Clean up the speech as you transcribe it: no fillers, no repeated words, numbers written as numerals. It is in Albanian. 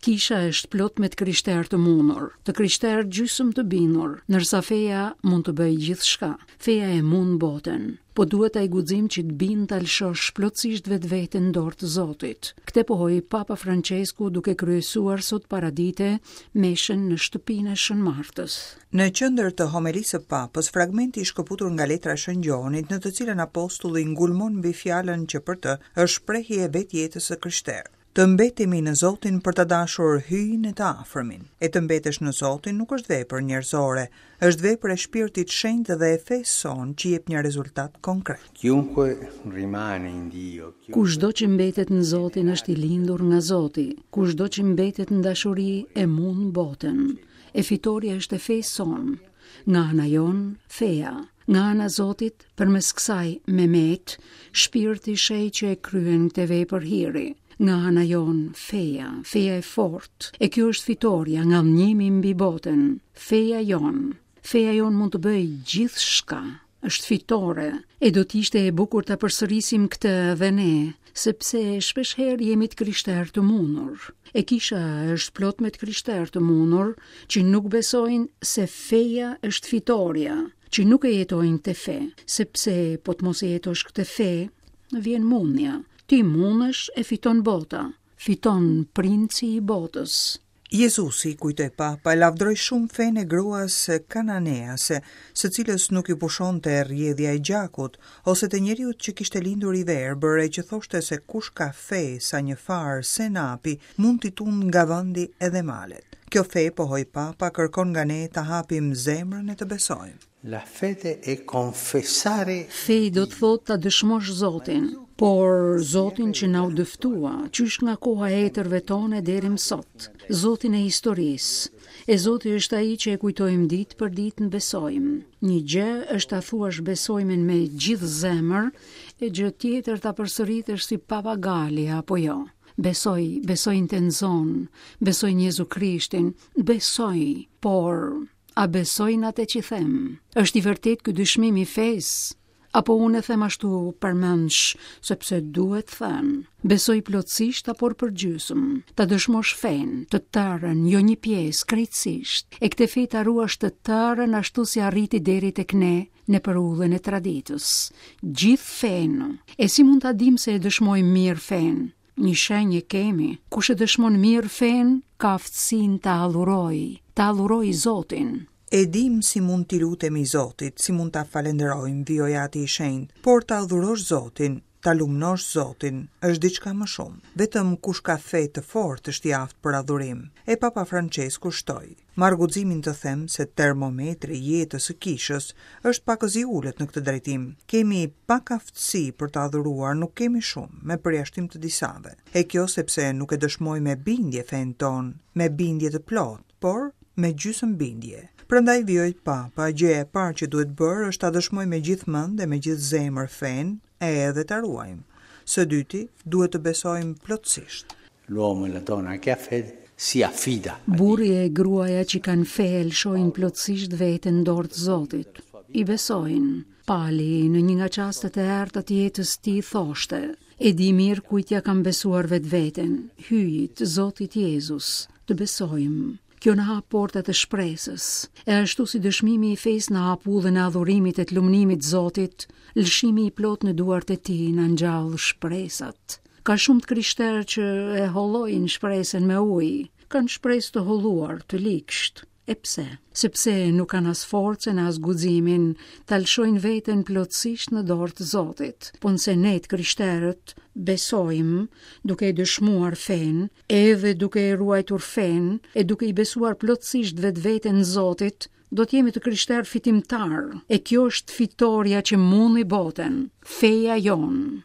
Kisha është plot me të krishterë të mundur, të krishterë gjysmë të bindur, ndërsa feja mund të bëjë gjithçka. Feja e mund botën. Po duhet ai guxim që të bind ta lëshosh plotësisht vetveten në dorë të Zotit. Këtë pohoi Papa Françesku duke kryesuar sot paradite meshën në shtëpinë e Shën Martës. Në qendër të homelisë së Papës, fragmenti i shkëputur nga letra e Shën Gjonit, në të cilën apostulli ngulmon mbi fjalën që për të është shprehje e vetë jetës së krishterë. Të mbetemi në Zotin për ta dashur Hyjin e të afërmin. E të mbetesh në Zotin nuk është vepër njerëzore, është vepër e Shpirtit Shenjt dhe e fesë sonë që jep një rezultat konkret. Chiunque rimane in Dio, Kushdo që mbetet në Zotin është i lindur nga Zoti, kushdo që mbetet në dashuri e mund botën. E fitorja është e fesë sonë. Nga ana jonë, feja. Nga ana Zotit, përmes kësaj memet, shpirti i shenjtë që e kryen këtë vepër hiri. Nga ana jonë, feja, feja e fortë, e kjo është fitorja, ngadhënjimi mbi botën, feja jonë. Feja jonë mund të bëjë gjithçka, është fitore, e do të ishte e bukur ta përsërisim këtë edhe ne, sepse shpeshherë jemi të krishterë të mundur. E kisha është plot me të krishterë të mundur që nuk besojnë se feja është fitorja, që nuk e jetojnë këtë fe, sepse po të mos e jetosh këtë fe, vjen mundja. Ti mundesh e fiton bota, fiton princi i botës. Jezusi, kujtoi Papa, lavdëroi shumë fenë e gruas kananease, së cilës nuk i pushonte rrjedhja e gjakut, ose të njeriut që kishte lindur i verbër e që thoshte se kush ka fe sa një farë senapi, mund t'i tundë nga vendi edhe malet. Kjo fe, pohoi Papa, kërkon nga ne ta hapim zemrën e të besojmë. La fede è confessare Fe do të thotë ta dëshmosh Zotin, por Zotin që na u dëftua, qysh nga koha e etërve tonë e deri më sot, Zotin e historisë. E Zoti është ai që e kujtojmë ditë për ditë në besojmë. Një gjë është ta thuash besojmin me gjithë zemër, e gjë tjetër ta përsëritësh si papagali apo jo. Besoj, besoj në Tenzon, besoj në Jezu Krishtin, besoj, por A besoj në atë që them? Është i vërtetë ky dëshmim i fesë? Apo unë e them ashtu përmendsh, sepse duhet thënë. Besoj plotësisht apo përgjysëm. Ta dëshmosh fenë, të tërën, jo një pjesë, krejtësisht. E këtë fe ta ruash të tërën ashtu si arriti deri tek ne, nëpër udhën e traditës. Gjithë fenë. E si mund ta dimë se e dëshmojmë mirë fenë? Një shenjë e kemi, kush e dëshmon mirë fenë, ka aftësinë ta adhurojë, ta adhurojë Zotin. E dimë si mund t'i lutemi Zotit, si mund ta falënderojmë, vijoi Ati i Shenjtë, por ta adhurosh Zotin, ta lumnosh Zotin, është diçka më shumë. Vetëm kush ka fe të fortë është i aftë për adhurim. E Papa Françesku shtoi. Marr guximin të them se termometri i jetës së Kishës është pakëz i ulët në këtë drejtim. Kemi pak aftësi për të adhuruar, nuk kemi shumë, me përjashtim të disave. E kjo sepse nuk e dëshmojmë me bindje fenë tonë, me bindje të plotë, por me gjysmë bindje. Prandaj vijoi Papa, gjëja e parë që duhet bërë është ta dëshmojmë me gjithë mend e me gjithë zemër fenë e edhe ta ruajmë. Së dyti, duhet të besojmë plotësisht. L'uomo e la donna che ha fede si affida. Burri e gruaja që kanë fe e lëshojnë plotësisht veten në dorë të Zotit. I besojnë. Pali, në një nga çastet e errëta të jetës tij thoshte, e di mirë kujt ia kam besuar vetveten, Hyjit, Zotit Jezus. Të besojmë. Kjo na hap portat e shpresës. E ashtu si dëshmimi i fesë na hap udhën e adhurimit e të lumnimit Zotit, lëshimi i plotë në duart e tij na ngjall shpresat. Ka shumë të krishterë që e hollojnë shpresën me ujë, kanë shpresë të holluar, të ligshtë. E pse? Sepse nuk kanë as forcën as guximin ta lëshojnë veten plotësisht në dorë të Zotit. Po nëse ne të krishterët besojmë duke e dëshmuar fenë, edhe duke e ruajtur fenë, e duke i besuar plotësisht vetveten Zotit, do të jemi të krishterë fitimtarë. E kjo është fitorja që mundi botën, feja jonë.